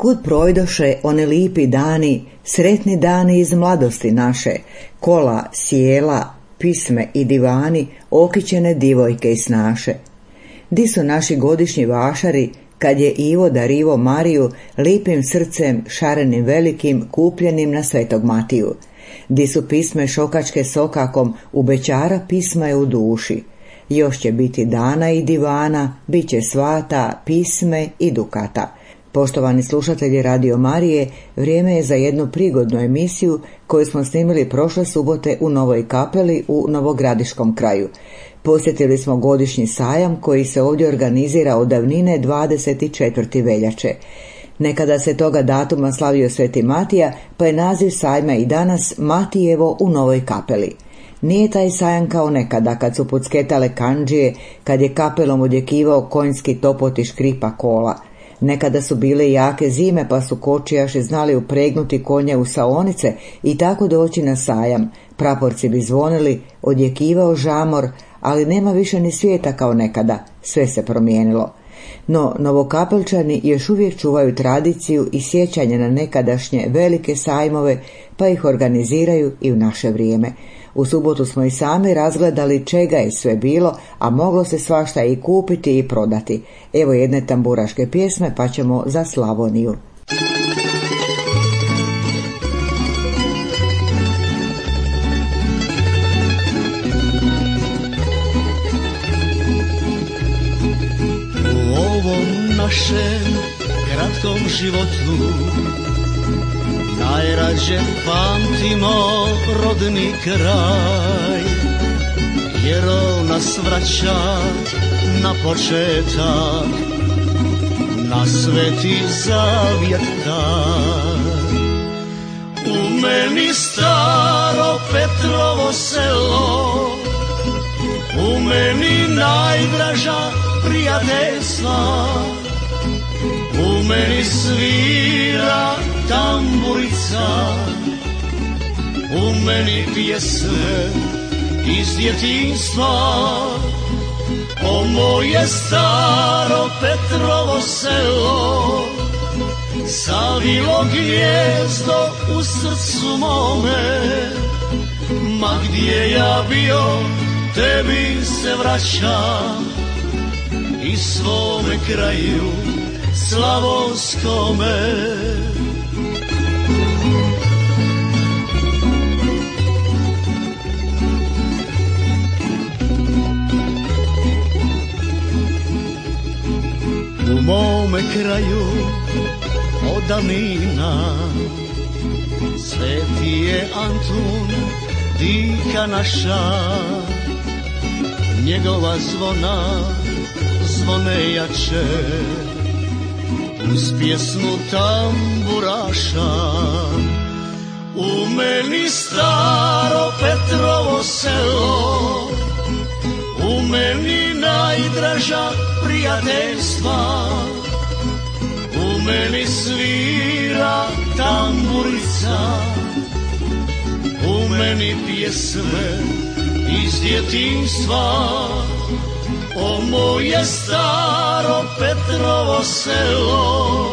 Kud projdoše one lipi dani, sretni dani iz mladosti naše, kola, sjela, pisme i divani, okićene divojke i snaše. Di su naši godišnji vašari, kad je Ivo darivo Mariju, lipim srcem, šarenim velikim, kupljenim na Svetog Matiju. Di su pisme šokačke sokakom, u bećara pisma je u duši. Još će biti dana i divana, bit će svata, pisme i dukata. Poštovani slušatelji Radio Marije, vrijeme je za jednu prigodnu emisiju koju smo snimili prošle subote u Novoj Kapeli u Novogradiškom kraju. Posjetili smo godišnji sajam koji se ovdje organizira od davnine 24. veljače. Nekada se toga datuma slavio Sveti Matija, pa je naziv sajma i danas Matijevo u Novoj Kapeli. Nije taj sajam kao nekada kad su pucketale kandžije, kad je kapelom odjekivao konjski topot i škripa kola. Nekada su bile jake zime pa su kočijaši znali upregnuti konje u saonice i tako doći na sajam. Praporci bi zvonili, odjekivao žamor, ali nema više ni svijeta kao nekada, sve se promijenilo. No, Novokapelčani još uvijek čuvaju tradiciju i sjećanje na nekadašnje velike sajmove, pa ih organiziraju i u naše vrijeme. U subotu smo i sami razgledali čega je sve bilo, a moglo se svašta i kupiti i prodati. Evo jedne tamburaške pjesme, pa ćemo za Slavoniju. U ovom našem kratkom životu najrađe pamtimo rodni kraj, jer on nas vraća na početak, na Sveti Zavjet taj. U meni staro Petrovo selo, u meni najdraža prijateljstva, u meni svira tamburica, u meni pjesme iz djetinjstva. O moje staro Petrovo selo, savilo gnijezdo u srcu mome, ma gdje ja bio, tebi se vraćam i svome kraju slavonskome. U mome kraju od davnina sveti je Antun, dika naša, njegova zvona zvone jače uz pjesmu tamburaša. U meni staro Petrovo selo, u meni najdraža prijateljstva, u meni svira tamburica, u meni pjesme iz djetinjstva. O moje staro Petrovo selo,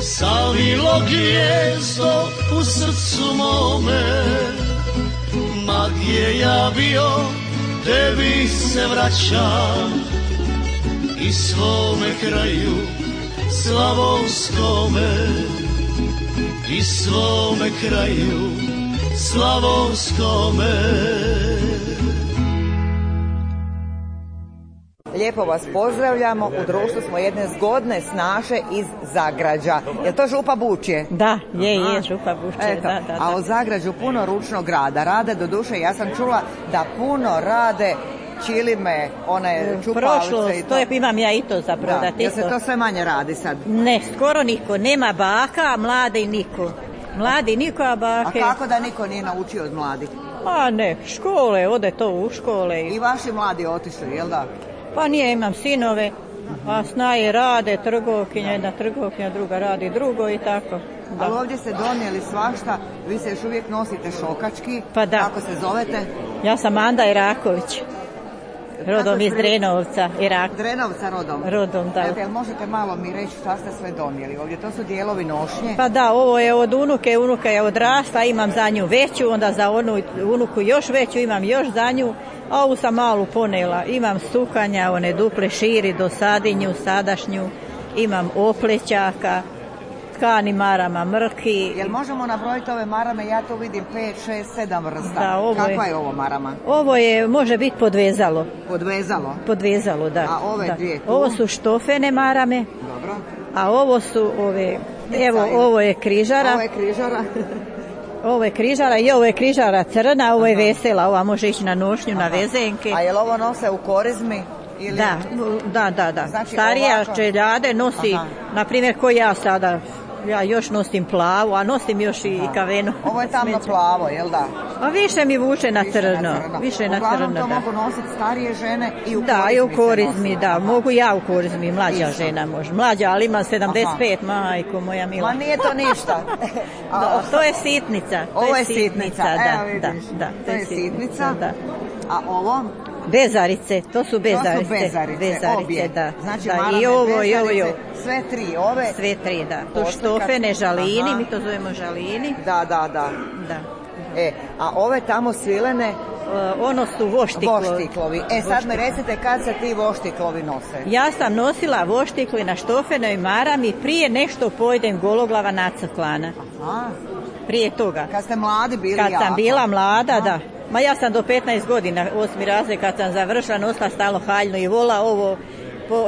savilo gnijezdo u srcu mome, ma gdje ja bio, tebi se vraćam i svome kraju slavonskome, i svome kraju slavonskome. Lijepo vas pozdravljamo, u društvu smo jedne zgodne snaše iz Zagrađa. Je to Župa Bučje? Da, je Župa Bučje. Da. A u Zagrađu puno ručnog rada. Rade do duše, ja sam čula da puno rade čilime, one čupalice i to. Imam ja i to za prodati. Jel se to sve manje radi sad? Ne, skoro niko. Nema baka, a mlade i niko. Mladi niko, a bake. A kako da niko nije naučio od mladih? A ne, škole, ode to u škole. I vaši mladi otišli, jel da? Pa nije, imam sinove, a snaje rade, trgovkinja, jedna trgovkinja, druga radi drugo i tako. Da. Ali ovdje ste donijeli svašta, vi se još uvijek nosite šokački. Pa da. Kako se zovete? Ja sam Anda Iraković. Rodom iz Drenovca, Irak. Drenovca rodom? Rodom, da. Jel možete malo mi reći šta ste sve donijeli ovdje? To su dijelovi nošnje? Pa da, ovo je od unuke, unuka je odrasla, imam za nju veću, onda za onu unuku još veću, imam još za nju, a ovu sam malu ponela. Imam sukanja, one duple širi, dosadinju, sadašnju, imam oplećaka, tkani marama, mrki. Jel možemo nabrojiti ove marame? Ja tu vidim 5, 6, 7 vrsta. Da, kakva je ovo marama? Ovo je, može biti podvezalo. Podvezalo? Podvezalo, da. A ove dvije tu? Ovo su štofene marame. Dobro. A ovo su ove, evo, ovo je križara. Ovo je križara. Ovo je križara i ovo je križara crna, ovo je vesela, ova može ići na nošnju, na vezenke. A je li ovo nose u korizmi? Ili... Da. Znači, starija čeljade nosi, na primjer, ko ja sada, ja još nosim plavu, a nosim još i kavenu. Ovo je tamno plavo, jel da? A više mi vuče na crno. Uglavnom to mogu nositi starije žene i u korizmi. Da, i u korizmi, da. Mogu ja u korizmi, mlađa žena može. Mlađa, ali ima 75, majko moja mila. Ma nije to ništa. Da, to je sitnica. Ovo je sitnica, evo vidiš. Da, to je sitnica. A ovo? Bezarice, to su bezarice. To su bezarice, da. Znači, da, i ovo. Sve tri ove? Sve tri, da. To štofene žalini, mi to zovemo žalini. Da. A ove tamo svilene? Ono su voštiklovi. Sad me recite kad se ti voštiklovi nose? Ja sam nosila voštikli na štofenoj marami prije nešto pojedem gologlava nacrklana. Prije toga. Kad ste mladi bili jako? Kad sam bila mlada, da. Ma ja sam do 15 godina, 8. razred, kad sam završila, nosila stalno haljnu i vola ovo.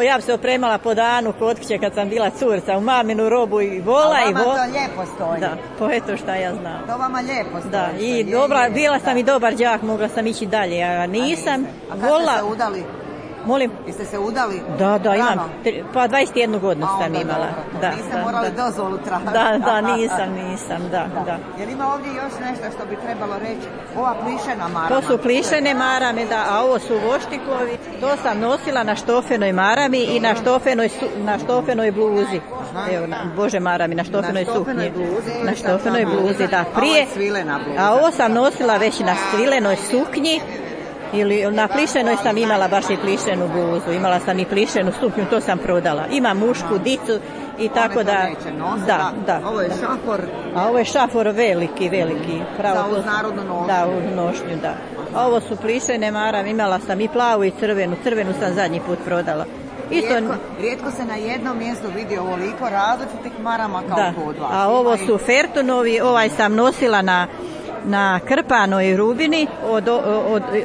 Ja bi se opremala po danu kod kuće kad sam bila curca, u maminu robu i vola. A vama to lijepo stoji? Da, po eto šta ja znam. To vama lijepo stoji? Da, i bila sam i dobar đak, mogla sam ići dalje, a nisam. A kad ste se udali? Molim? Jeste se udali? Da, imam. Pa 21 godinu sam imala. Niste morali dozvolu tražiti? Da, nisam, da. Jer ima ovdje još nešto što bi trebalo reći? Ova plišena marama. To su plišene marame, da, a ovo su voštiklovi. To sam nosila na štofenoj marami i na štofenoj bluzi. Evo, bože marami, na štofenoj suknji. Na štofenoj bluzi, da. Prije, a ovo sam nosila već na svilenoj suknji. Ili na plišenoj sam imala baš i plišenu bluzu, imala sam i plišenu suknju, to sam prodala. Ima mušku, dicu i tako da. Da. Ovo je šafor. A ovo je šafor veliki. Pravo za uz narodnu nošnju. Da, uz nošnju, da. A ovo su plišene marame, imala sam i plavu i crvenu sam zadnji put prodala. Rijetko se na jednom mjestu vidi ovoliko različitih marama kao kod vas. A ovo su fertunovi, ovaj sam nosila na krpanoj rubini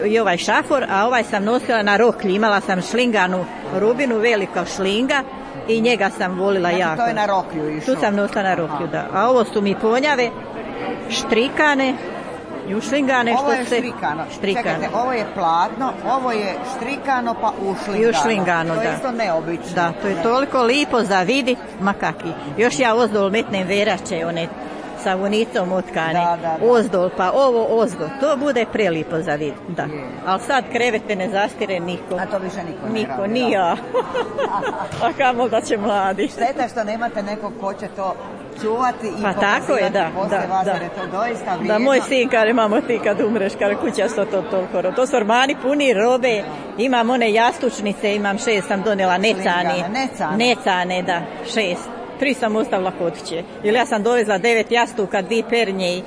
i ovaj šafor, a ovaj sam nosila na roklji. Imala sam šlinganu rubinu, velika šlinga i njega sam volila jako. To je na roklju išlo? Tu sam nosila na roklju, da. A ovo su mi ponjave, štrikane i ušlingane. Ovo je štrikano. Čekajte, ovo je platno, ovo je štrikano pa ušlingano. To je isto neobično. Da, to je toliko lipo za vidit, ma kaki. Još ja ozdol metnem verače, one sa vunicom otkane, ozdol, pa ovo ozgo, to bude prelipo za vid, da. Ali sad krevete ne zastire niko. A to više niko ni ja. A kamo da će mladi. Šteta što nemate nekog ko će to čuvati i pa tako je, da. Jer je to doista vrijedno. Da, moj sin kare, mamo ti kad umreš, kare kuća sto to toliko. To su ormani puni robe, imam one jastučnice, imam 6 sam donela necane, da, 6. 3 sam ostavila kod kuće. Ili ja sam dovezla 9 jastuka, 2 pernje i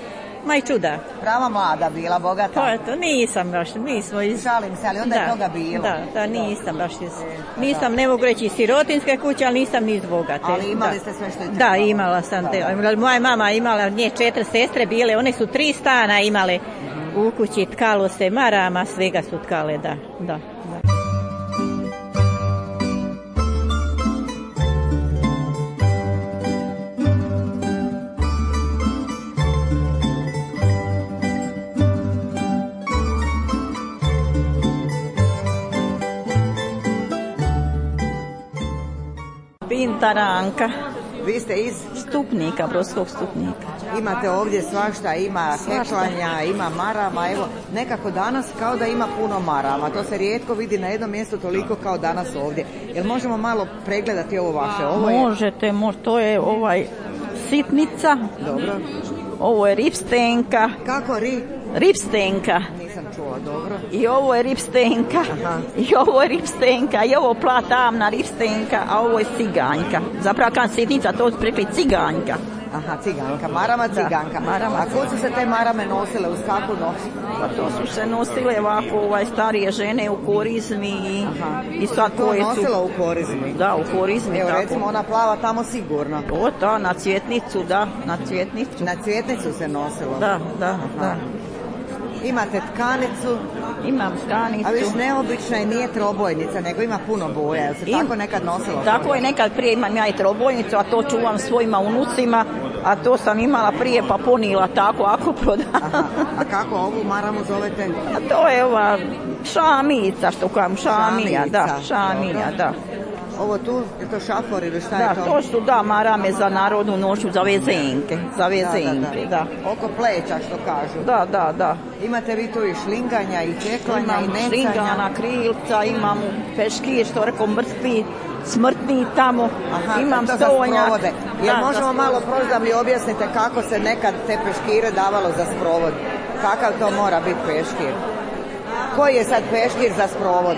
ma i čuda. Prava mlada bila, bogata. To je to, nisam baš, mi smo iz... Šalim se, ali onda je toga bilo. Da, nisam baš iz... Nisam, ne mogu reći iz sirotinske kuće, ali nisam ni iz bogate. Ali imali ste sve što je trebalo. Da, imala sam. Moja mama imala nje 4 sestre bile, one su 3 stana imale u kući, tkalo se marama, svega su tkale, da. Pintaranka. Vi ste iz? Stupnika, Brodskog Stupnika. Imate ovdje svašta, ima heklanja, ima marama, evo, nekako danas kao da ima puno marama, to se rijetko vidi na jednom mjestu toliko kao danas ovdje. Jel možemo malo pregledati ovo vaše? Možete, to je sitnica. Dobro. Ovo je ripstenka. Kako Ripstenka. Nisam čula. nosila, dobro. I ovo je ripstenka. I ovo je ripstenka. I ovo platamna ripstenka, a ovo je ciganjka. Zapravo kad sitnica, to prikli ciganjka. Aha, ciganka, marama ciganka. A ko su se te marame nosile, uz kakvu nosi? Pa to su se nosile ovako starije žene u korizmi i sad koje su... To nosila u korizmi? Da, u korizmi. Evo tako. recimo ona plava tamo sigurno. O, da, na cvjetnicu, da, na cvjetnicu. Na cvjetnicu se nosilo? Da. Imate tkanicu? Imam tkanicu. A viš neobična i nije trobojnica, nego ima puno boja. Jel se tako nekad nosilo? Tako je nekad prije, imam ja i trobojnicu, a to čuvam svojima unucima, a to sam imala prije pa ponila tako ako prodam. A kako ovu maramu zovete? A to je ova šamica, što kažem, šamija, da. Ovo tu, je to šafor ili šta je to? Da, to su marame za narodnu noću, za vezenke, da. Oko pleća, što kažu. Da. Imate vi tu i šlinganja, i čeklanja, i necanja? Šlingana, krilca, imam peškir, što rekao smrtni tamo, imam stonjak. Jel možemo malo proći da mi objasnite kako se nekad te peškire davalo za sprovod? Kakav to mora biti peškir? Koji je sad peškir za sprovod?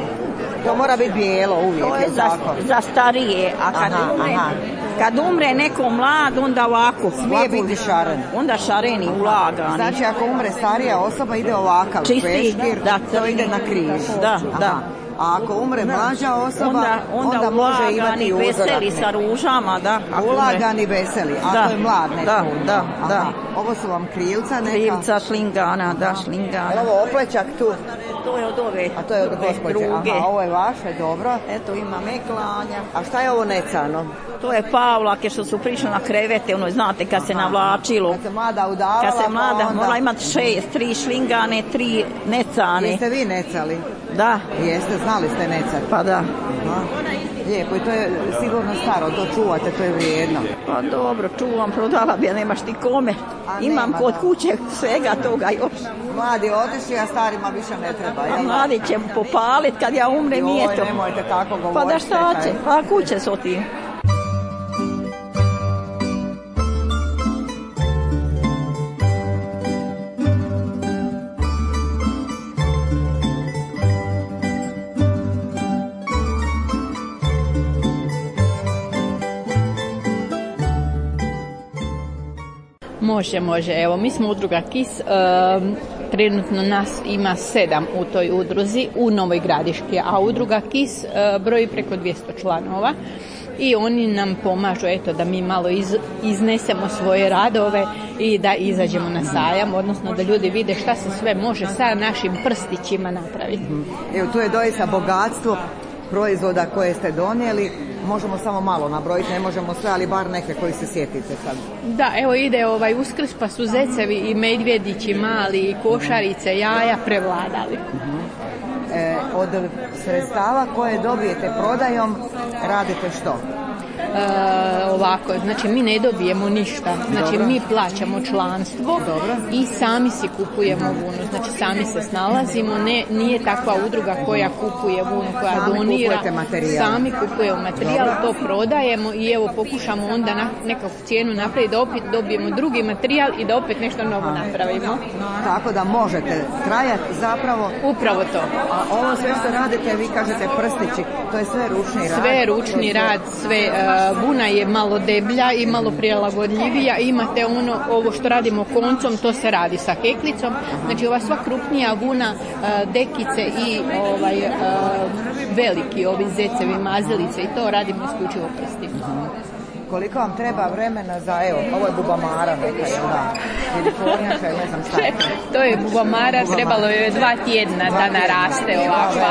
To mora biti bijelo uvijek. To je za starije, a kad umre neko mlad, onda ovako. Smije biti šaren. Onda šareni, ulagani. Znači ako umre starija osoba ide ovakav peškir, to ide na križ. Da. A ako umre mlađa osoba, onda može imati uzorak. Veseli sa ružama, da. Ulagani veseli, a to je mlad neko. Da. Ovo su vam krilca neka? Krilca, šlingana, da, šlingana. Ovo oplećak tu? To je od ove. A to je od gospođe. Aha, ovo je vaše, dobro. Eto, ima meklanja. A šta je ovo necano? To je pavlake što su prišli na krevete, znate, kad se navlačilo. Kad se mlada udavala, kad se mlada, mora imati 6, 3 šlingane, 3 necane. Jeste vi necali? Da. Jeste, znali ste necati? Pa da. Lijepo, i to je sigurno staro, to čuvate, to je vrijedno. Pa dobro, čuvam, prodala bi, nemaš ti kome. Imam kod kuće svega toga još. Mladi otišli, a starima više ne treba. A mladi će popalit kad ja umrem i eto. Nemojte tako govoriti. Pa da šta će, pa kuće su ti. Može. Evo, mi smo udruga KIS, trenutno nas ima 7 u toj udruzi u Novoj Gradiški, a udruga KIS broji preko 200 članova i oni nam pomažu da mi malo iznesemo svoje radove i da izađemo na sajam, odnosno da ljudi vide šta se sve može sa našim prstićima napraviti. Evo, tu je doista bogatstvo proizvoda koje ste donijeli. Možemo samo malo nabrojiti, ne možemo sve, ali bar neke koji se sjetite sad. Da, evo ide Uskrs, pa su zecevi i medvjedići mali i košarice, jaja prevladali. Od sredstava koje dobijete prodajom radite što? Ovako, znači mi ne dobijemo ništa, znači mi plaćamo članstvo. I sami si kupujemo vunu, znači sami se snalazimo, nije takva udruga koja kupuje vunu, koja donira, sami kupujemo materijal, to prodajemo i evo pokušamo onda nekakvu cijenu napraviti da opet dobijemo drugi materijal i da opet nešto novo napravimo. Tako da možete trajati zapravo. Upravo to. A ovo sve što radite, vi kažete prstići, to je sve ručni rad? Sve ručni rad, sve. Vuna je malo deblja i malo prilagodljivija. Imate ovo što radimo koncom, to se radi sa heklicom. Znači ova sva krupnija vuna, dekice i veliki ovi zecevi, mazilice i to radimo isključivo prstima. Koliko vam treba vremena za, ovo je bubamara neka, jel da? Ili kornjača, ne znam šta je to. To je bubamara, trebalo je 2 tjedna da naraste ovakva.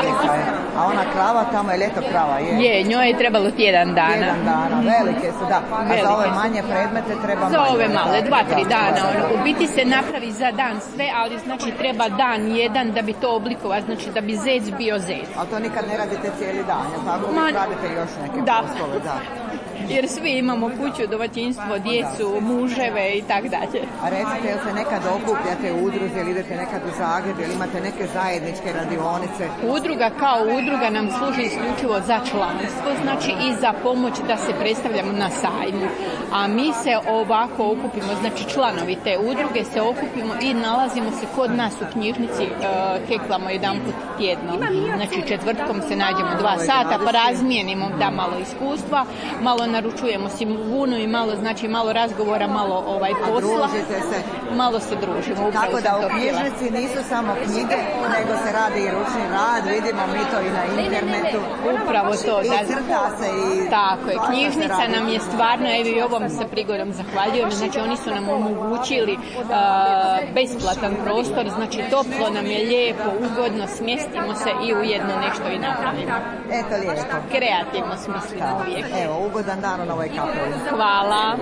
A ona krava tamo je ljeto krava, je? Je, njoj je trebalo tjedan dana. Tjedan dana, velike su, da. A za ove manje predmete treba manje. Za ove male, 2-3 dana. U biti se napravi za dan sve, ali znači treba dan jedan da bi to oblikovati, znači da bi zec bio zec. Ali to nikad ne radite cijeli dan, jel tako? Radite još neke poslove, da. jer svi imamo kuću, domaćinstvo, djecu, muževe i tak dalje. A recite, jel se nekad okupljate u udruzi ili idete nekad u Zagreb ili imate neke zajedničke radionice? Udruga kao udruga nam služi isključivo za članstvo, znači i za pomoć da se predstavljamo na sajmu. A mi se ovako okupimo, znači članovi te udruge se okupimo i nalazimo se kod nas u knjižnici, heklamo jedanput tjedno. Znači četvrtkom se nađemo 2 sata pa razmijenimo da malo iskustva, malo naručujemo si vunu i malo razgovora, malo posla. Malo se družimo. Tako da u knjižnici nisu samo knjige, nego se radi i ručni rad, vidimo mi to i na internetu. Upravo to. I crta se i... Tako je, knjižnica nam je stvarno, evo i ovom se prigodom zahvaljujem, znači oni su nam omogućili besplatan prostor, znači toplo nam je, lijepo, ugodno, smjestimo se i ujedno nešto i napravimo. Eto lijepo. Kreativno smislimo uvijek. Evo, ugodan dan u Novoj Kapeli. Hvala.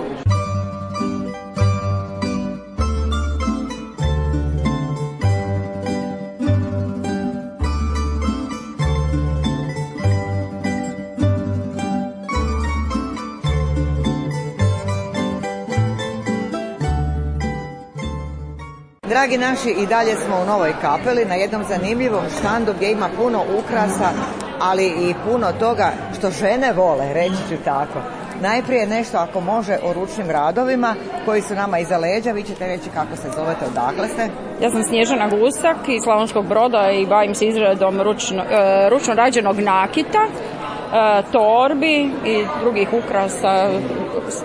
Dragi naši, i dalje smo u Novoj Kapeli na jednom zanimljivom štandu gdje ima puno ukrasa, ali i puno toga što žene vole, reći ću tako. Najprije nešto, ako može, o ručnim radovima koji su nama iza leđa. Vi ćete reći kako se zovete, odakle ste? Ja sam Snježana Gusak iz Slavonskog Broda i bavim se izradom ručno rađenog nakita, torbi i drugih ukrasa,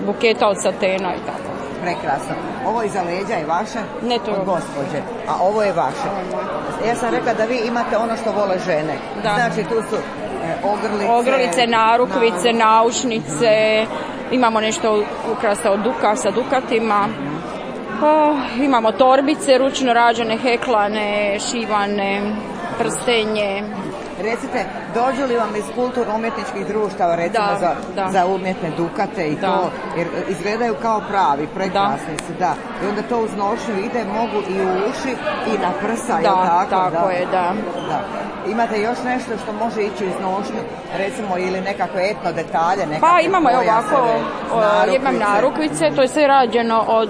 buketa od satena i tako. Prekrasno. Ovo iza leđa je vaše? Ne, to je od gospođe. A ovo je vaše. Ja sam rekla da vi imate ono što vole žene. Da. Znači tu su ogrlice, narukvice, naušnice, imamo nešto ukrasa od sa dukatima. Imamo torbice, ručno rađene, heklane, šivane, prstenje. Recite, dođu li vam iz kulturno-umjetničkih društava, recimo za umjetne dukate i to, jer izgledaju kao pravi, prekrasni su, da. I onda to uz nošnju ide, mogu i u uši i na prsa, je li tako? Tako je, da. Imate još nešto što može ići uz nošnju, recimo, ili nekakve etno detalje? Pa imamo je ovako, imam narukvice, to je sve rađeno od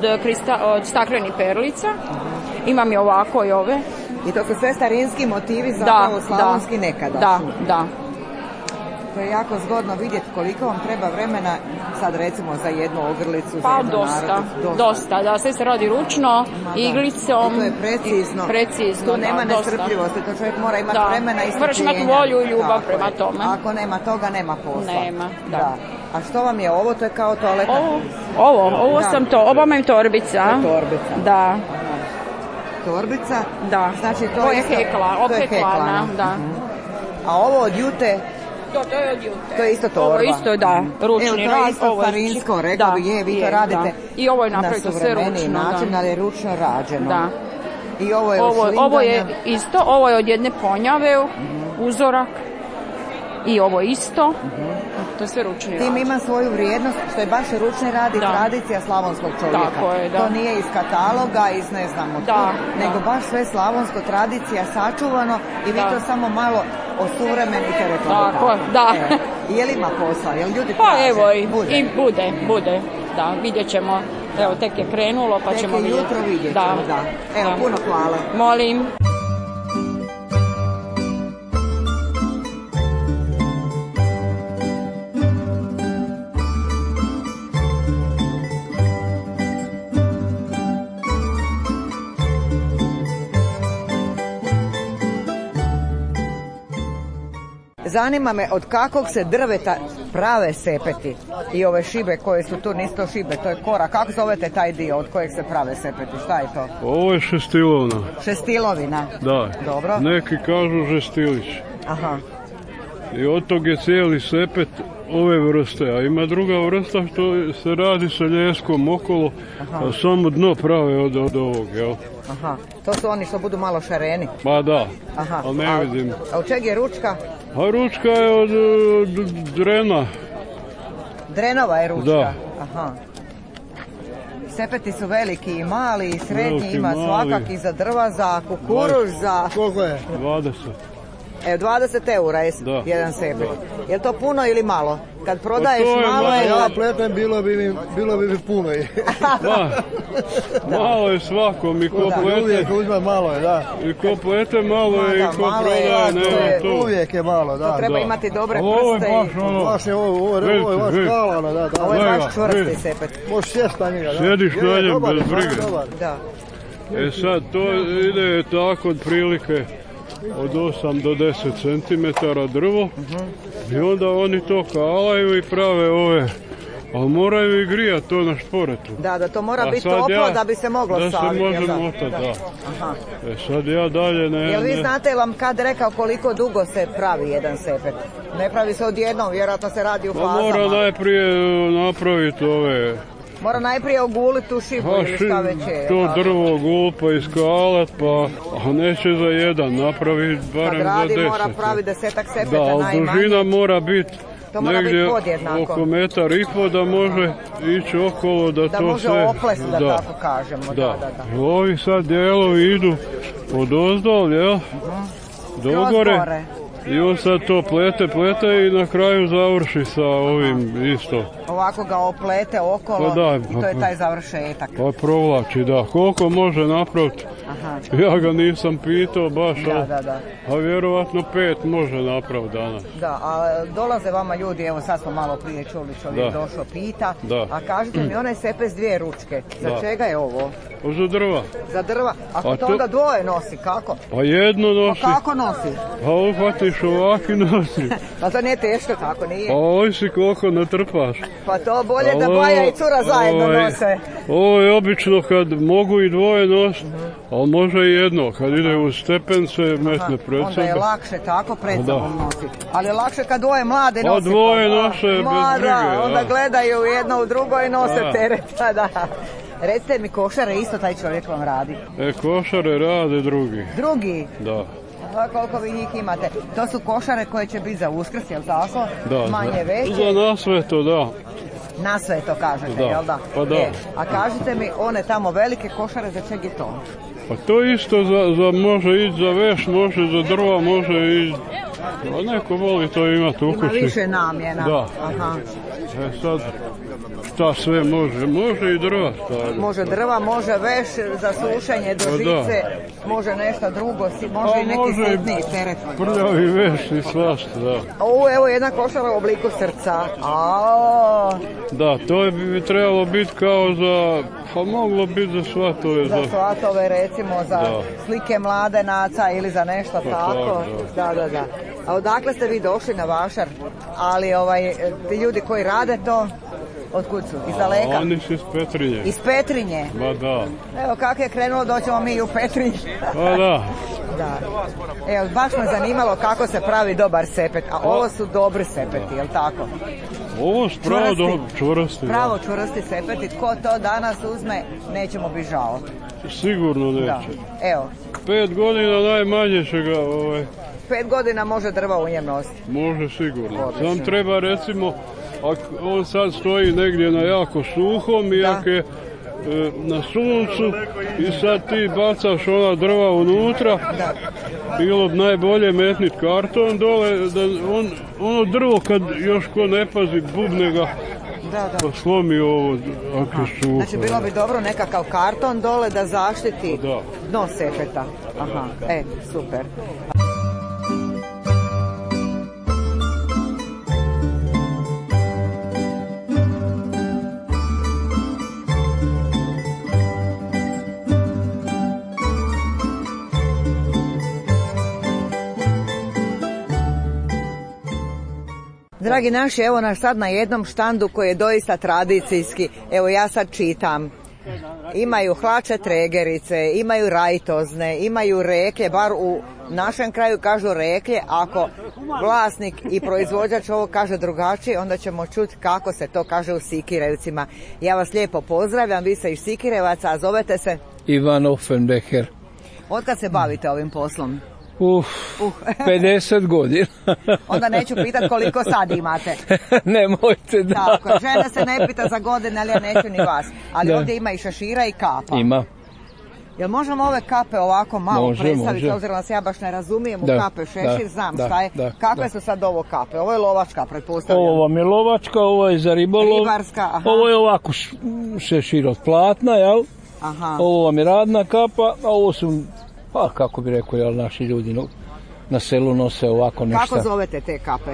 staklenih perlica. Imam i ovako i ove. I to su sve starinski motivi, zapravo slavonski nekadašnji. Da. To je jako zgodno vidjeti koliko vam treba vremena, sad recimo za jednu ogrlicu. Pa dosta, da, sve se radi ručno, iglicom. I to je precizno. Tu nema nestrpljivosti, to čovjek mora imati vremena i strpljenja. Moraš imati volju i ljubav prema tome. Ako nema toga, nema posla. Nema, da. A što vam je ovo? To je kao toaleta? Ovo sam to, ovo vam torbica. Torbica. Da. Torbica? Da. Znači to je hekla, opeklana, da. A ovo od jute? To je od jute. To je isto torba? Ovo isto, da, ručni rad. Evo, to je isto farinsko, rekao bi, vi to radite i ovo je napravito sve ručno. Na suvremeniji način, ali je ručno rađeno. Da. I ovo je od šlinganja? Ovo je isto, ovo je od jedne ponjave, uzorak. I ovo isto, to je sve ručni rad. Tim ima svoju vrijednost, što je baš ručni rad i tradicija slavonskog čovjeka. Tako je, da. To nije iz kataloga, iz ne znamo nego baš sve slavonsko, tradicija sačuvano i vi to samo malo osuvremenite, rekla bi tako. Da. Je li ima posla? Je li ljudi pa traže? Evo i bude. Da, vidjet ćemo. Evo, tek je krenulo, pa ćemo vidjeti. Tek je jutro vidjet ćemo, da. Evo, puno hvala. Molim. Zanima me od kakvog se drveta prave sepeti i ove šibe koje su tu, nisu to šibe, to je kora. Kako zovete taj dio od kojeg se prave sepeti? Šta je to? Ovo je šestilovina. Šestilovina? Da. Dobro. Neki kažu žestilić. Aha. I od tog je cijeli sepet ove vrste, a ima druga vrsta što se radi sa ljeskom okolo, a samo dno prave od ovog, jel? Aha, to su oni što budu malo šareni? Pa da, ali ne vidim. A od čeg je ručka? A ručka je od drena. Drenova je ručka? Da. Aha. Sepeti su veliki i mali i srednji, ima svakak i za drva, za kukuruž, za... Koliko je? 20. Evo, 20 eura je jedan sepet. Je li to puno ili malo? Kad prodaješ malo je... Ja pletem, bilo bi mi puno. Malo je svakom i ko plete. Uvijek uzme malo je, da. I ko plete malo je i ko prodaje, nema to. Uvijek je malo, da. To treba imati dobre prste. Ovo je vaš kalana, da. Ovo je vaš čvrsti sepet. Možeš sjesti na njega, da. Sjediš na njem bez brige. Da. Sad, to ide tako otprilike od 8 do 10 cm drvo i onda oni to kalaju i prave ove, ali moraju i grijati to na šporetu. Da to mora biti toplo da bi se moglo saviti. Da se može motati, da. Sad ja dalje ne... Jel vi znate vam kad rekao koliko dugo se pravi jedan sepet? Ne pravi se odjednom, vjerojatno se radi u fazama. Mora najprije napraviti ove... Mora najprije oguliti tu šibu ili šta već je. To drvo ogul pa iskalat, pa neće za jedan, napravi barem za 10. Kad radi mora pravi 10-ak sepeta najmanje. Da, dužina mora biti negdje oko 1,5 metar da može ići okolo da to može sve... oplesti, da tako kažemo. Da. Ovi sad dijelovi idu od ozdol, jel? Do gore. I on sad to plete i na kraju završi sa ovim isto. Ovako ga oplete okolo i to je taj završetak. Pa provlači, da. Koliko može napraviti? Ja ga nisam pitao baš, a vjerovatno 5 može napraviti danas. Da, a dolaze vama ljudi, evo sad smo malo prije čuli, čovjek došao pita, a kažete mi onaj sepet s 2 ručke, za čega je ovo? Za drva. Za drva? Ako to onda dvoje nosi, kako? Pa jedno nosi. Pa kako nosi? Pa uhvatiš ovaki nosi. Pa to nije teško, tako nije? Pa ovisi koliko natrpaš. Pa to bolje da baja i cura zajedno nose. Ovo je obično kad mogu i dvoje nositi, ali može i jedno. Kad ide u stepence, metne pred sebe. Onda je lakše tako pred sobom nositi. Ali je lakše kad dvoje mlade nosi. Pa dvoje nose bez brige. Onda gledaju jedno u drugo i nose teret. Recite mi, košare isto taj čovjek vam radi? Košare rade drugi. Drugi? Da. Koliko vi njih imate? To su košare koje će biti za Uskrs, jel tako? Da. Manje veće? Za nasveto, da. Na sve to kažete, jel da? Pa da. A kažite mi, one tamo velike košare, za čeg je to? Pa to isto može ići za veš, može za drva, može ići... A neko voli to imati u kući. Ima više namjena. Da. Sad, šta sve može? Može i drva staviti. Može drva, može veš za sušenje do žice, može nešto drugo, može i neki sitniji teret. Prljavi veš i svašta, da. Evo jedna košara u obliku srca. Da, to bi trebalo biti kao za, pa moglo biti za svatove. Za svatove, recimo, za slike mladenaca ili za nešto tako. Da. A odakle ste vi došli na Vašar? Ali ti ljudi koji rade to, otkud su? Iz daleka? Oni su iz Petrinje. Iz Petrinje? Ba da. Evo kako je krenulo, doćemo mi i u Petrinje. Pa da. Evo, baš me zanimalo kako se pravi dobar sepet, a ovo su dobri sepeti, jel tako? Ovo su pravo čvrsti. Pravo čvrsti sepeti, tko to danas uzme, nećemo biti žao. Sigurno neće. Evo. 5 godina najmanje će ga 5 godina može drva u njem nositi. Može sigurno. Sam treba recimo, ako on sad stoji negdje na jako suhom i ako je na suncu i sad ti bacaš ona drva unutra, bilo bi najbolje metnit karton dole, da ono drvo kad još ko ne pazi bubne ga pa slomi ovo ako je suho. Znači bilo bi dobro nekakav karton dole da zaštiti dno sepeta. Super. Dragi naši, evo nas sad na jednom štandu koji je doista tradicijski. Evo ja sad čitam. Imaju hlače tregerice, imaju rajtozne, imaju reklje, bar u našem kraju kažu reklje. Ako vlasnik i proizvođač ovo kaže drugačije, onda ćemo čuti kako se to kaže u Sikirevcima. Ja vas lijepo pozdravljam, vi ste iz Sikirevaca, a zovete se? Ivan Offenbecker. Otkad se bavite ovim poslom? 50 godina. Onda neću pitat koliko sad imate. Nemojte, da. Tako, žena se ne pita za godine, ali ja neću ni vas. Ali ovdje ima i šešira i kapa. Ima. Jel možemo ove kape ovako malo predstaviti, može. obzirom da se ja baš ne razumijem u Da, kape šešir, znam šta je. Kakve da. su sad ovo kape? Ovo je lovačka, pretpostavljam. Ovo vam je lovačka, ovo je za ribolov. Ribarska, aha. Ovo je ovako šešir od platna, jel? Aha. Ovo vam je radna kapa, a ovo su, pa kako bi rekao, jel, naši ljudi na selu nose ovako nešto. Kako zovete te kape?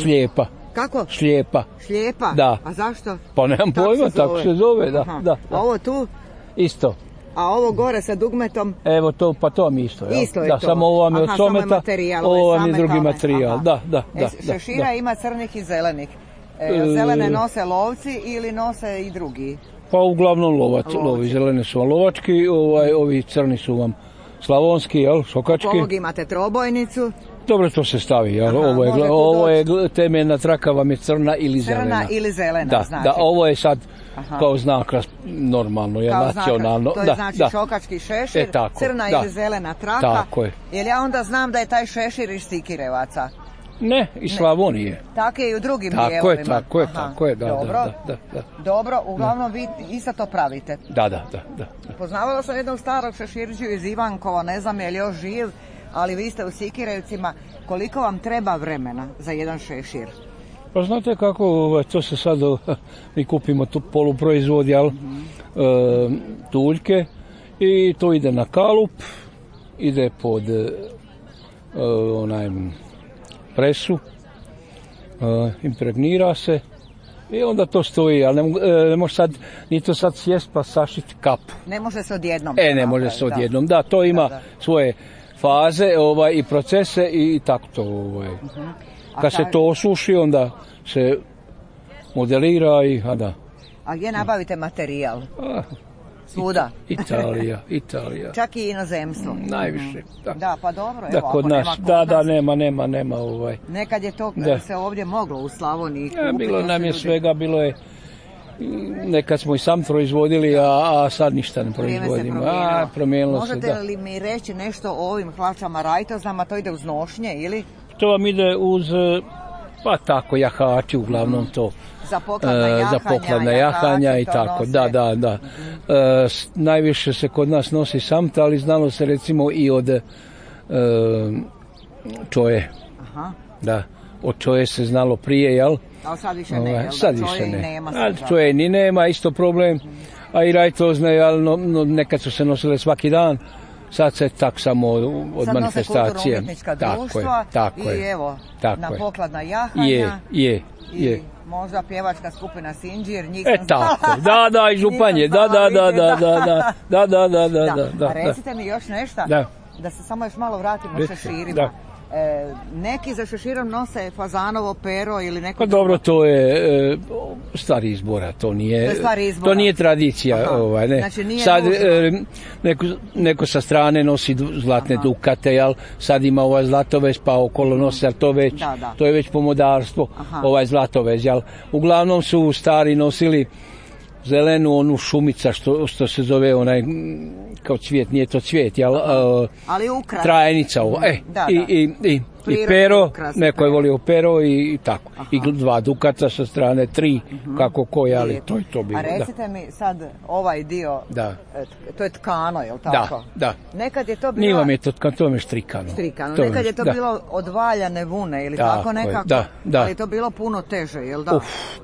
Šlijepa. Kako? Šlijepa. Šlijepa? Da. A zašto? Pa nemam pojma, tako se zove, da. A ovo tu? Isto. A ovo gore sa dugmetom? Evo to, pa to mi isto, jel? Isto je da, to. samo ovo vam je od someta, ovo vam je drugi kame. materijal, da. Šešira ima crnih i zelenih. Zelene nose lovci ili nose i drugi? Pa uglavnom lovi, zelene su vam lovački, ovi crni su vam slavonski, jel, šokački. Ovog imate trobojnicu. Dobro, to se stavi, jel? Ovo je temeljna traka vam je crna ili zelena. Crna ili zelena, znači. Da, ovo je sad kao znak normalno, je nacionalno. To je znači šokački šešir, crna ili zelena traka. Tako je. Jer ja onda znam da je taj šešir iz Sikirevaca. Ne, iz Slavonije. Tako je i u drugim dijelovima. Tako je, da. Dobro, uglavnom vi isto to pravite. Da. Poznavala sam jednog starog šeširđu iz Ivankova, ne znam je li još živ, ali vi ste u Sikirevcima. Koliko vam treba vremena za jedan šešir? Pa znate kako, to se sad, mi kupimo tu poluproizvod, jel, tuljke, i to ide na kalup, ide pod presu, impregnira se i onda to stoji, ali ne može sad, ni to sad sjest pa sašiti kapu. Ne može se odjednom. Ne može se odjednom, da, to ima svoje faze i procese i tako to. Kad se to osuši, onda se modelira i, A gdje nabavite materijal? Svuda? Italija. Čak i inozemstvo? Najviše, da. Da, pa dobro, evo, kod nas, nema. Nekad je to se ovdje moglo u Slavoniji kupiti. Bilo nam je svega, bilo je, nekad smo i sam proizvodili, a sad ništa ne proizvodimo. Promijenilo se, Možete li mi reći nešto o ovim hlačama rajtoznama, to ide uz nošnje ili? To vam ide uz, pa tako, jahači, uglavnom to. Za pokladna jahanja i tako, da. Najviše se kod nas nosi samta, ali znalo se recimo i od čoje. Da, od čoje se znalo prije, jel? Ali sad više ne, jel? Sad više ne. Čoje ni nema, isto problem. A i rajtozne, jel, nekad su se nosile svaki dan. Sad se tak samo od manifestacije. Sad nose kulturno-umjetnička društva i evo, na pokladna jahanja. Je. Možda pjevačka skupina Sinđir, njih sam tako, da, i Županje, da. A recite mi još nešto, da se samo još malo vratimo šeširima. Neki za šeširom nose fazanovo pero ili neko... Pa dobro, to je stvar izbora, to nije tradicija. Ne. Znači nije sad neko sa strane nosi zlatne dukate, jel? Sad ima ovaj zlatovez pa okolo nosi, ali to je već pomodarstvo, ovaj zlatovez, jel? Uglavnom su stari nosili zelenu onu šumica što se zove onaj kao cvijet, nije to cvijet, jel? Ali ukras. Trajenica ovo. I pero, neko je volio pero i tako. I 2 dukata sa strane, 3, kako koji, ali to je to bilo. A recite mi sad ovaj dio, to je tkano, je li tako? Da. Nekad je to bilo... Nije vam je to tkano, to je štrikano. Nekad je to bilo od valjane vune ili tako nekako, ali je to bilo puno teže, je li da?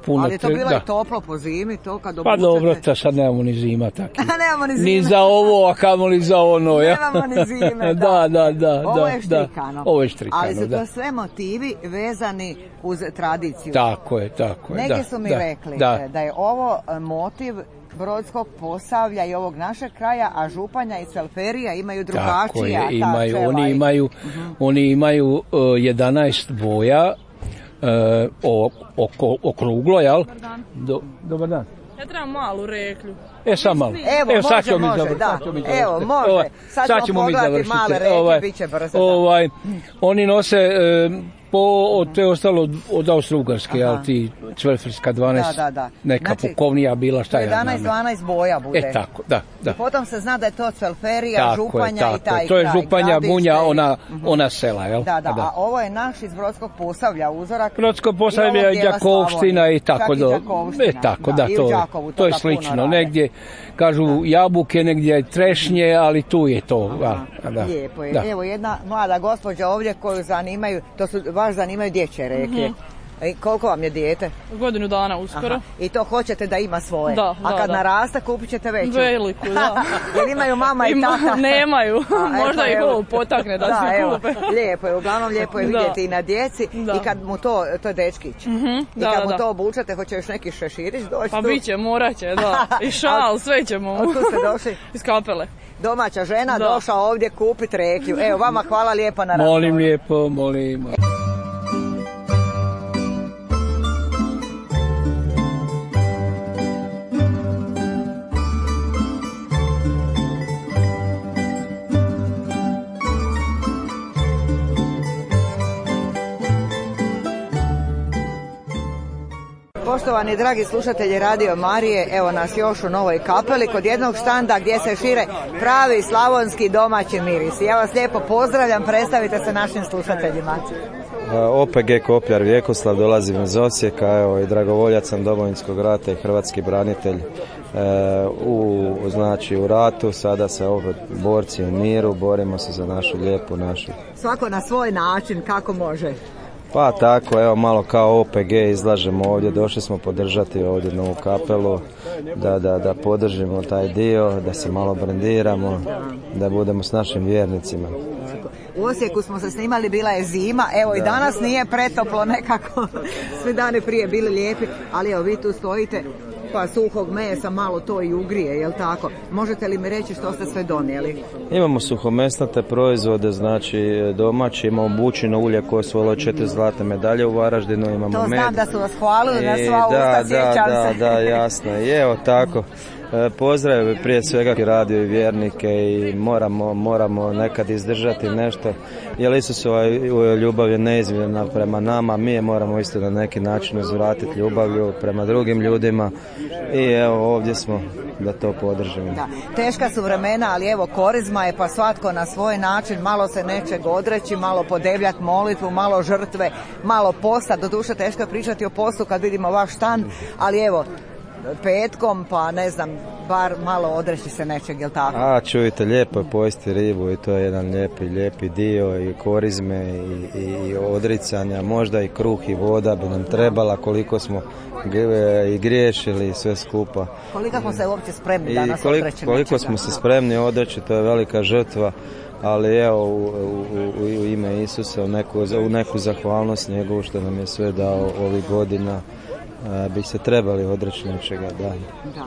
Ali je to bilo i toplo po zimi, to kad obučete... Pa dobro, sad nemamo ni zima tako. Nemamo ni zime. Ni za ovo, a kamoli za ono, ja? Nemamo ni zime, da. Ovo je štrikano. Ovo je štrikano, ali su to sve motivi vezani uz tradiciju. Tako je. Neki su mi rekli da je ovo motiv Brodskog Posavlja i ovog našeg kraja, a Županja i Cvelferija imaju drugačija. Oni imaju 11 boja okruglo, jel? Dobar dan. Ja trebam malu reklju. Sad malo. Evo, može, da. Evo, može. Sad ćemo pogledati male reke, bit će brzo. Oni nose To je ostalo od Austro-Ugarske, ali ti Cvelferska 12, neka pukovnija bila, šta ja znam. 11-12 boja bude. Tako, da. I potom se zna da je to Cvelferija, Županja i taj kraj. To je Županja, Bunja, ona sela, jel? Da, a ovo je naš iz Brodskog Posavlja uzorak. Brodsko Posavlja je Đakovština i tako da. To je slično. Negdje, kažu jabuke, negdje je trešnje, ali tu je to. Lijepo je. Evo jedna mlada gospođa ovdje koju zanimaju, to su baš zanimaju dječje reklje. Koliko vam je dijete? Godinu dana uskoro. I to hoćete da ima svoje? Da. A kad naraste kupit ćete veću? Veliku, da. Jer imaju mama i tata? Nemaju. Možda ih ovo potakne da se kupe. Lijepo je, uglavnom lijepo je vidjeti i na djeci. I kad mu to je dečkić. I kad mu to obučate, hoće još neki šeširić doći? Pa bit će, morat će, da. I šal, sve ćemo. Otkud ste došli? Iz Kapele. Domaća žena došla ovdje kupiti reklju. Evo, vama hvala lijepo na razgovoru. Molim lijepo, molim. Poštovani dragi slušatelji Radio Marije, evo nas još u Novoj Kapeli kod jednog štanda gdje se šire pravi slavonski domaći mirisi. Ja vas lijepo pozdravljam, predstavite se našim slušateljima. OPG Kopljar Vjekoslav, dolazim iz Osijeka, evo i dragovoljac sam Domovinskog rata i hrvatski branitelj u ratu, sada se opet borci u miru, borimo se za našu lijepu našu. Svako na svoj način, kako može? Pa tako, evo malo kao OPG izlažemo ovdje, došli smo podržati ovdje Novu Kapelu, da podržimo taj dio, da se malo brendiramo, da budemo s našim vjernicima. U Osijeku smo se snimali, bila je zima, evo i danas nije pretoplo nekako, svi dani prije bili lijepi, ali evo vi tu stojite, pa suhog mesa malo to i ugrije, jel tako? Možete li mi reći što ste sve donijeli? Imamo suhomesnate proizvode, znači domaći, imamo bučino ulje koje su 4 zlatne medalje u Varaždinu, imamo med. To znam da su vas hvalili na sva usta, sjećam se. Da, jasno. I evo tako, pozdravim prije svega radio i vjernike i moramo nekad izdržati nešto, jer Isusova ljubav je neizmjerna prema nama, mi je moramo isto na neki način uzvratiti ljubavlju prema drugim ljudima i evo ovdje smo da to podržimo. Da. Teška su vremena, ali evo korizma je, pa svatko na svoj način, malo se nečeg odreći, malo podebljati molitvu, malo žrtve, malo posta. Doduše teško je pričati o postu kad vidimo vaš štan, ali evo petkom, pa ne znam, bar malo odreći se nečeg, jel tako? Čujte, lijepo je pojesti ribu i to je jedan lijepi dio i korizme i odricanja, možda i kruh i voda bi nam trebala, koliko smo i griješili i sve skupa. Koliko smo se uopće spremni danas odreći? Koliko smo se spremni odreći, to je velika žrtva, ali evo u ime Isusa, u neku zahvalnost njegovu što nam je sve dao ovih godina, bi se trebali odreći nečega. Da.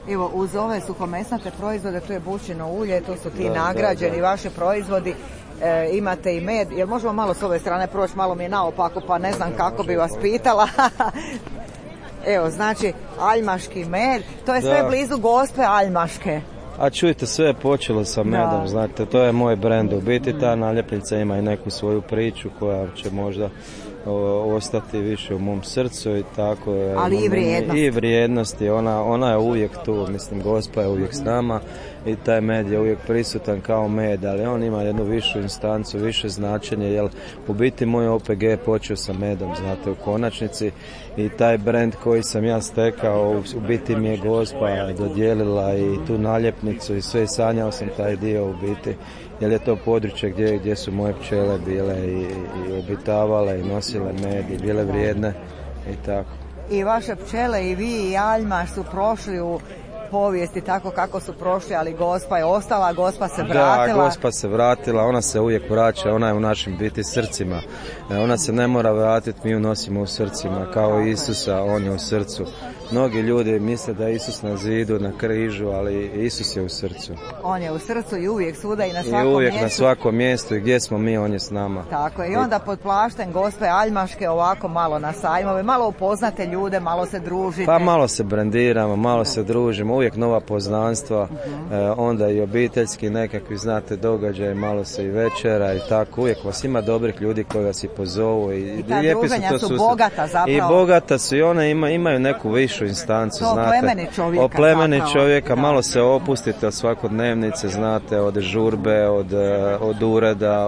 Evo, uz ove suhomesnate proizvode, to je bučino ulje, to su ti nagrađeni vaši proizvodi, imate i med. Jel možemo malo s ove strane proći, malo mi je naopako, pa ne znam kako bi vas pitala. Evo, znači, aljmaški med, to je sve blizu Gospe Aljmaške. Čujte, sve je počelo sa medom, znate, to je moj brend. U biti ta naljepnica ima i neku svoju priču koja će možda ostati više u mom srcu i tako. Ali i vrijednost. I vrijednosti, ona je uvijek tu, mislim, Gospa je uvijek s nama i taj med je uvijek prisutan kao med, ali on ima jednu višu instancu, više značenje, jer u biti moj OPG je počeo sa medom, znate, u konačnici, i taj brend koji sam ja stekao, u biti mi je Gospa dodijelila i tu naljepnicu i sve, sanjao sam taj dio u biti, jer je to područje gdje su moje pčele bile i obitavale i nosile med i bile vrijedne i tako. I vaše pčele i vi i Aljmaš su prošli u povijesti tako kako su prošli, ali Gospa je ostala, Gospa se vratila. Da, Gospa se vratila, ona se uvijek vraća, ona je u našim biti srcima. Ona se ne mora vratiti, mi ju nosimo u srcima, kao Isusa, on je u srcu. Mnogi ljudi misle da je Isus na zidu, na križu, ali Isus je u srcu. On je u srcu i uvijek svuda i na svakom mjestu. I uvijek na svakom mjestu i gdje smo mi, on je s nama. Tako je, i onda pod plaštem Gospe Aljmaške ovako malo na sajmove, malo upoznate ljude, malo se družite. Pa malo se brendiramo, malo se družimo. uvijek nova poznanstva, onda i obiteljski nekakvi, znate, događaj, malo se i večera i tako, uvijek vas ima dobrih ljudi koji vas i pozovu i ta druženja su bogata zapravo. I bogata su i one imaju neku višu instancu, to znate. Oplemeni čovjeka, malo se opustite od svakodnevnice, znate, od žurbe, od ureda,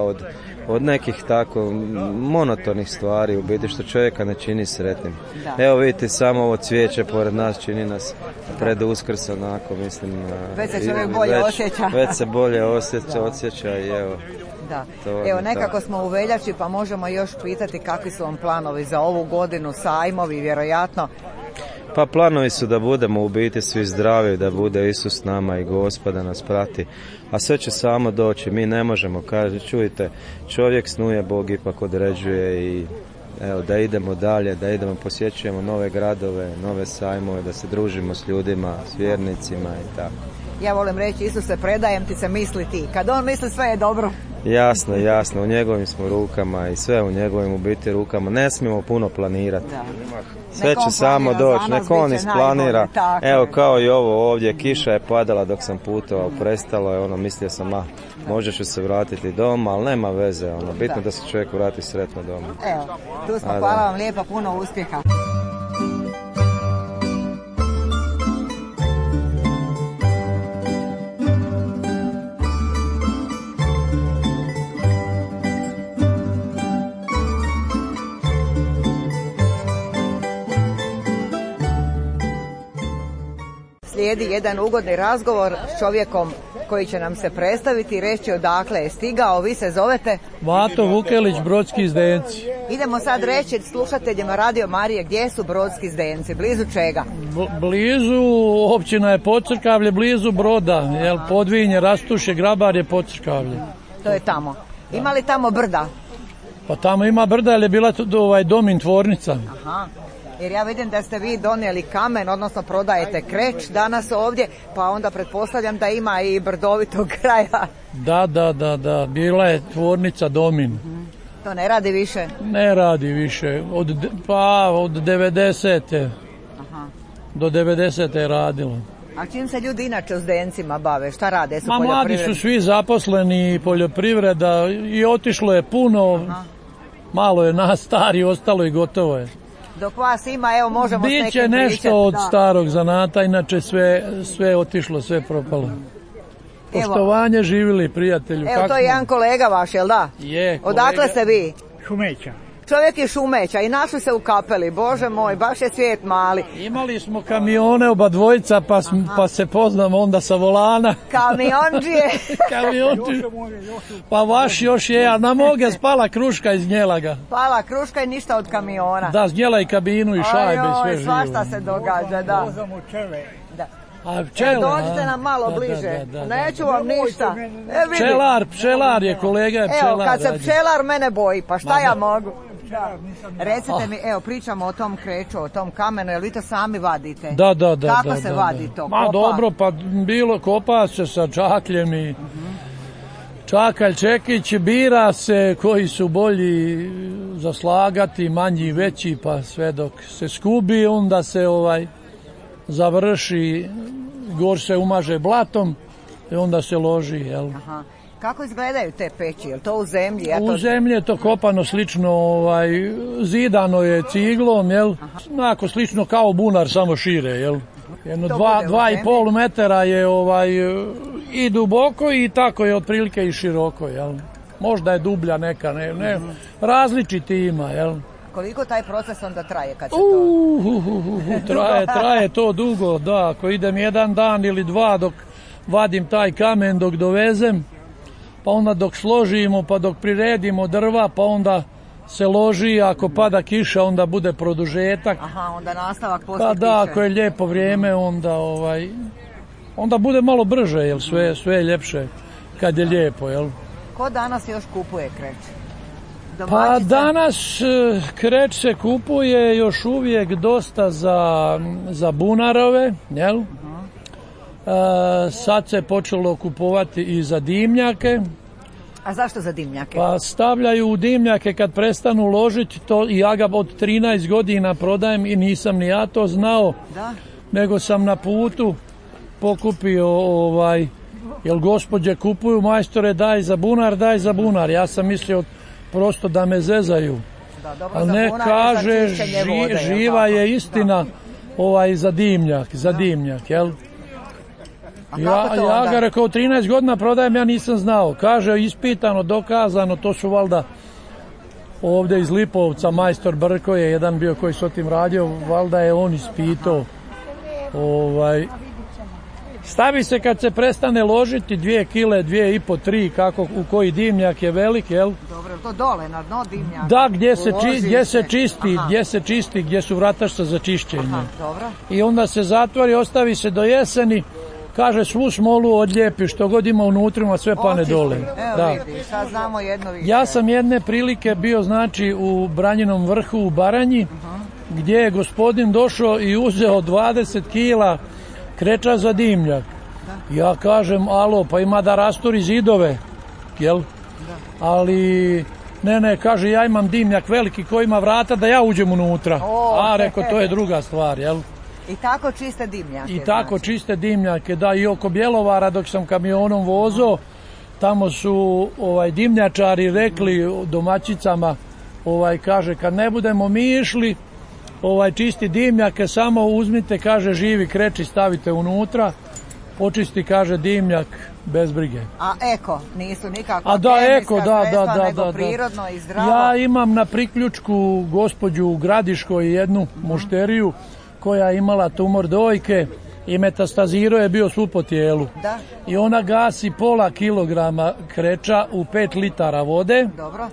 od nekih tako monotonih stvari u biti što čovjeka ne čini sretnim. Da. Evo vidite, samo ovo cvijeće pored nas čini nas pred Uskrs, onako mislim. Već se čovjek bolje osjeća. Već se bolje osjeća i evo. Da. Evo nekako smo u veljači pa možemo još pitati kakvi su vam planovi za ovu godinu, sajmovi vjerojatno. Pa planovi su da budemo u biti svi zdravi, da bude Isus s nama i Gospod da nas prati, a sve će samo doći, mi ne možemo, kaže, čujte, čovjek snuje, Bog ipak određuje i evo, da idemo dalje, da idemo, posjećujemo nove gradove, nove sajmove, da se družimo s ljudima, s vjernicima i tako. Ja volim reći, Isuse, predajem ti se, misli ti, kad on misli sve je dobro. Jasno, u njegovim smo rukama i sve u njegovim u biti rukama, ne smijemo puno planirati. Da. Sve će samo doći, nek on isplanira. Evo kao i ovo ovdje, kiša je padala dok sam putovao, prestalo je, mislio sam, možda ću se vratiti doma, ali nema veze, bitno da se čovjek vrati sretno doma. Evo, tu smo, hvala vam lijepa, puno uspjeha. Slijedi jedan ugodni razgovor s čovjekom koji će nam se predstaviti i reći odakle je stigao. Vi se zovete? Vato Vukelić, Brodski Zdenci. Idemo sad reći slušateljima Radio Marije gdje su Brodski Zdenci, blizu čega? Blizu, općina je Podcrkavlje, blizu Broda, Podvinje, Rastuše, Grabarje, Podcrkavlje. To je tamo. Ima li tamo brda? Pa tamo ima brda, jer je bila Domin tvornica. Aha. Jer ja vidim da ste vi donijeli kamen, odnosno prodajete kreć danas ovdje, pa onda pretpostavljam da ima i brdovitog kraja. Da, bila je tvornica Domin. To ne radi više? Ne radi više, od 90. Aha. Do 90. je radilo. A čim se ljudi inače u Zdencima bave, šta rade? Mladi su svi zaposleni, poljoprivreda i otišlo je puno, malo je nas stari, ostalo i gotovo je. Dok vas ima, evo možemo s nekim pričati. Biće nešto od starog zanata, inače sve otišlo, sve propalo. Poštovanje, živjeli prijatelju. Evo, to je jedan kolega vaš, jel da? Je, kolega. Odakle ste vi? Šumeća. Čovjek je Šumeća i našli se u Kapeli, Bože moj, baš je svijet mali. Imali smo kamione oba dvojica, pa se poznamo onda sa volana. Kamionđije. Pa vaš još je, a na moge spala kruška iz Njelaga. Spala kruška i ništa od kamiona. Da, znjela i kabinu i šajbe i sve živo. Svašta se događa, da. Da. A pčela, dođite nam malo bliže, neću vam ništa. Pčelar je, kolega je pčelar. Evo, kad se pčelar mene boji, pa šta ja mogu? Recite mi, evo, pričamo o tom kreću, o tom kamenu, jel vi to sami vadite? Da. Kako se vadi to? Dobro, pa bilo kopa se sa čakljem i čakalj, čekić, bira se koji su bolji za slagati, manji, veći, pa sve dok se skubi, onda se završi, gor se umaže blatom i onda se loži, jel? Aha. Kako izgledaju te peći? Je to u zemlji? U zemlji je to kopano slično, zidano je ciglom, jel? Onako slično kao bunar, samo šire, jel? Jedno 2,5 metara je i duboko i tako je otprilike i široko, jel? Možda je dublja neka, ne, različiti ima, jel? Koliko taj proces onda traje kad se to... Traje to dugo, da. Ako idem jedan dan ili dva dok vadim taj kamen, dok dovezem, pa onda dok složimo, pa dok priredimo drva, pa onda se loži, ako pada kiša, onda bude produžetak. Aha, onda nastavak poslije kiše. Pa da, ako je lijepo vrijeme, onda bude malo brže, jel, sve je ljepše kad je lijepo, jel. Ko danas još kupuje kreć? Pa danas kreć se kupuje još uvijek dosta za bunarove, jel? Sad se počelo kupovati i za dimnjake. A zašto za dimnjake? Pa stavljaju u dimnjake kad prestanu ložiti to, i ja ga od 13 godina prodajem i nisam ni ja to znao, nego sam na putu pokupio, jel gospođe kupuju, majstore daj za bunar. Ja sam mislio prosto da me zezaju. A ne, kaže, živa je istina za dimnjak, jel? Ja ga rekao, 13 godina prodajem, ja nisam znao. Kaže, ispitano, dokazano, to su valjda ovdje iz Lipovca, majstor Brko je jedan bio koji s o tim radio, valjda je on ispitao. Stavi se kad se prestane ložiti 2 kile, 2,5, 3, kako, u koji dimnjak je velik, jel? Dobro, to dole, na dno dimnjaka? Da, gdje se čisti, gdje su vratašca za čišćenje. Aha, dobro. I onda se zatvori, ostavi se do jeseni, kaže svu smolu odlijepi, što god ima unutrima, sve pane dole. Evo vidi, sad znamo jedno više. Ja sam jedne prilike bio, znači, u Branjinom vrhu u Baranji, gdje je gospodin došao i uzeo 20 kila kreča za dimnjak. Ja kažem, alo, pa ima da rasturi zidove, jel? Ali, ne, kaže, ja imam dimnjak veliki koji ima vrata da ja uđem unutra. Reko, to je druga stvar, jel? I tako čiste dimnjake. I tako čiste dimnjake, da, i oko Bjelovara dok sam kamionom vozao, tamo su dimnjačari rekli domaćicama, kaže, kad ne budemo mi išli, čisti dimnjake, samo uzmite, kaže, živi kreči, stavite unutra, počisti, kaže, dimnjak bez brige. A eko, nisu nikakva kemijska sredstva, nego prirodno i zdravo. Ja imam na priključku gospođu u Gradiškoj jednu mušteriju koja je imala tumor dojke i metastazirao je bio svu po tijelu. Da. I ona gasi pola kilograma kreča u 5 litara vode. Dobro.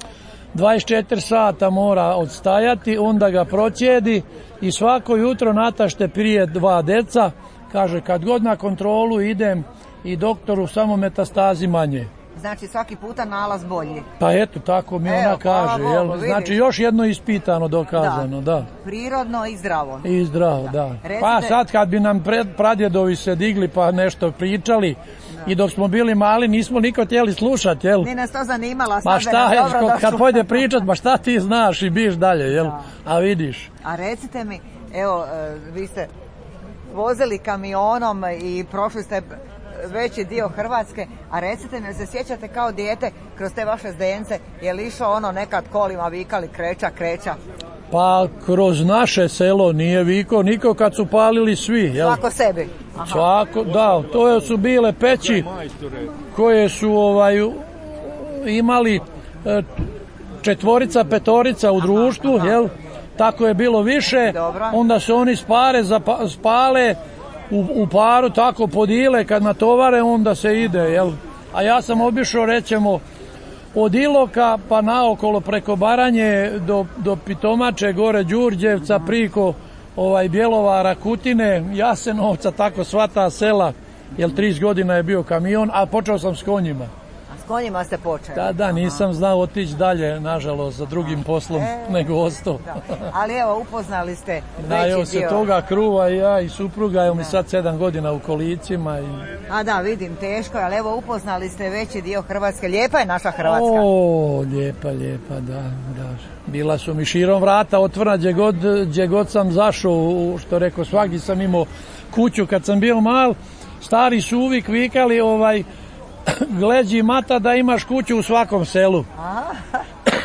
24 sata mora odstajati, onda ga procijedi i svako jutro natašte prije 2 deca. Kaže, kad god na kontrolu idem i doktoru, samo metastazi manje. Znači svaki puta nalaz bolji. Pa eto, tako mi ona kaže. Znači još jedno ispitano, dokazano, da. Prirodno i zdravo. I zdravo, da. Pa sad kad bi nam pradjedovi se digli pa nešto pričali, i dok smo bili mali nismo niko htjeli slušati, jel? Nije nas to zanimala. Ma šta je, kad pojde pričat, ma šta ti znaš i biš dalje, jel? A vidiš. A recite mi, evo, vi ste vozili kamionom i prošli ste veći dio Hrvatske, a recite mi, se sjećate kao dijete kroz te vaše zdence, je li išao nekad kolima vikali kreća? Pa kroz naše selo nije vikao niko kad su palili svi, jel? Svako sebi. Aha. Svako, da, to su bile peći koje su imali 4, 5 u društvu, jel? Tako je bilo više. Dobro. Onda se oni spale u paru, tako podile, kad natovare onda se ide, jel? A ja sam obišao, rećemo, od Iloka pa naokolo preko Baranje do Pitomače, gore Đurđevca, priko Bjelovara, Kutine, Jasenovca, tako sva ta sela, jer 30 godina je bio kamion, a počeo sam s konjima. A s konjima ste počeli? Da, nisam znao otići dalje, nažalost, za drugim poslom nego ostao. Ali evo, upoznali ste veći dio. Evo se toga kruva i ja i supruga, evo mi sad 7 godina u kolicima. A da, vidim, teško je, ali evo upoznali ste veći dio Hrvatske. Lijepa je naša Hrvatska. O, lijepa, da. Bila su mi širom vrata otvorena gdje god sam zašao, što rekao, svagdje sam imao kuću kad sam bio mal. Stari su uvijek vikali, gleđi mata da imaš kuću u svakom selu.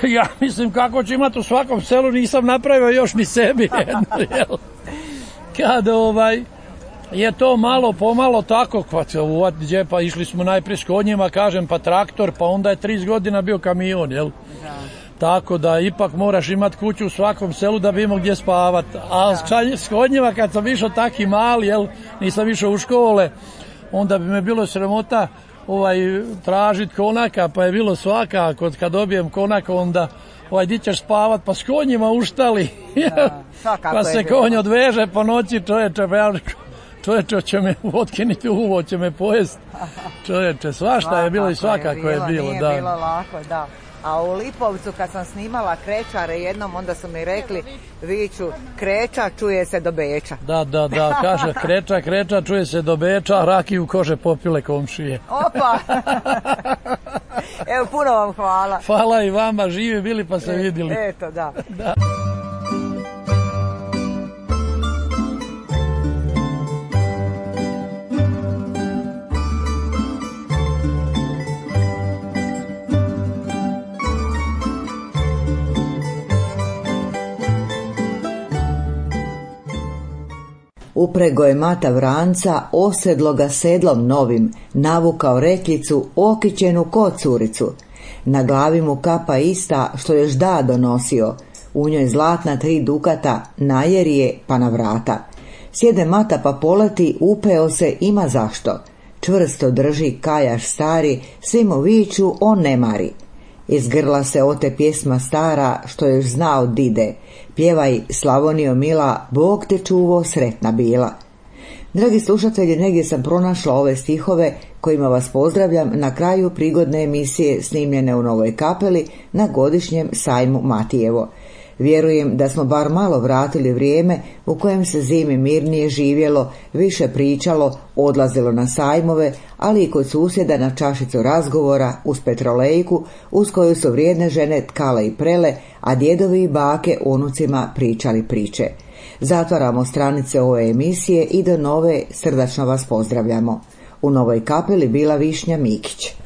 Ja mislim, kako ću imati u svakom selu, nisam napravio još ni sebi jednu, jel? Kad je to malo pomalo tako, pa išli smo najprije s konjima, kažem, pa traktor, pa onda je 30 godina bio kamion, jel? Da. Tako da ipak moraš imati kuću u svakom selu da bi imao gdje spavati. A s konjima kad sam išao taki mali, jel, nisam išao u škole, onda bi me bilo sramota tražiti konaka, pa je bilo svakako, kad dobijem konaka, onda di ćeš spavat, pa s konjima uštali. Pa se konj odveže po noći, čovječe će me otkiniti uvo, će me pojest. Čovječe, svašta je bilo i svakako je bilo. Nije bilo lako, da. A u Lipovcu kad sam snimala Krećare jednom, onda su mi rekli, viču, Kreća čuje se do Beča. Da, kaže Kreća čuje se do Beča, rakiju kože popile komšije. Opa! Evo, puno vam hvala. Hvala i vama, živi bili pa se vidjeli. Eto, da. Uprego je mata vranca, osedlo ga sedlom novim, navukao rekljicu, okićenu ko curicu. Na glavi mu kapa ista, što još da donosio, u njoj zlatna 3 dukata, najerije pa na vrata. Sjede mata pa poleti, upeo se, ima zašto. Čvrsto drži kajaš stari, svi mu viču, on ne mari. Iz grla se ote pjesma stara, što još zna od dide. Pjevaj, Slavonijo mila, Bog te čuvo, sretna bila. Dragi slušatelji, negdje sam pronašla ove stihove kojima vas pozdravljam na kraju prigodne emisije snimljene u Novoj Kapeli na godišnjem sajmu Matijevo. Vjerujem da smo bar malo vratili vrijeme u kojem se zimi mirnije živjelo, više pričalo, odlazilo na sajmove, ali i kod susjeda na čašicu razgovora uz petrolejku uz koju su vrijedne žene tkale i prele, a djedovi i bake unucima pričali priče. Zatvaramo stranice ove emisije i do nove srdačno vas pozdravljamo. U Novoj Kapeli bila Višnja Mikić.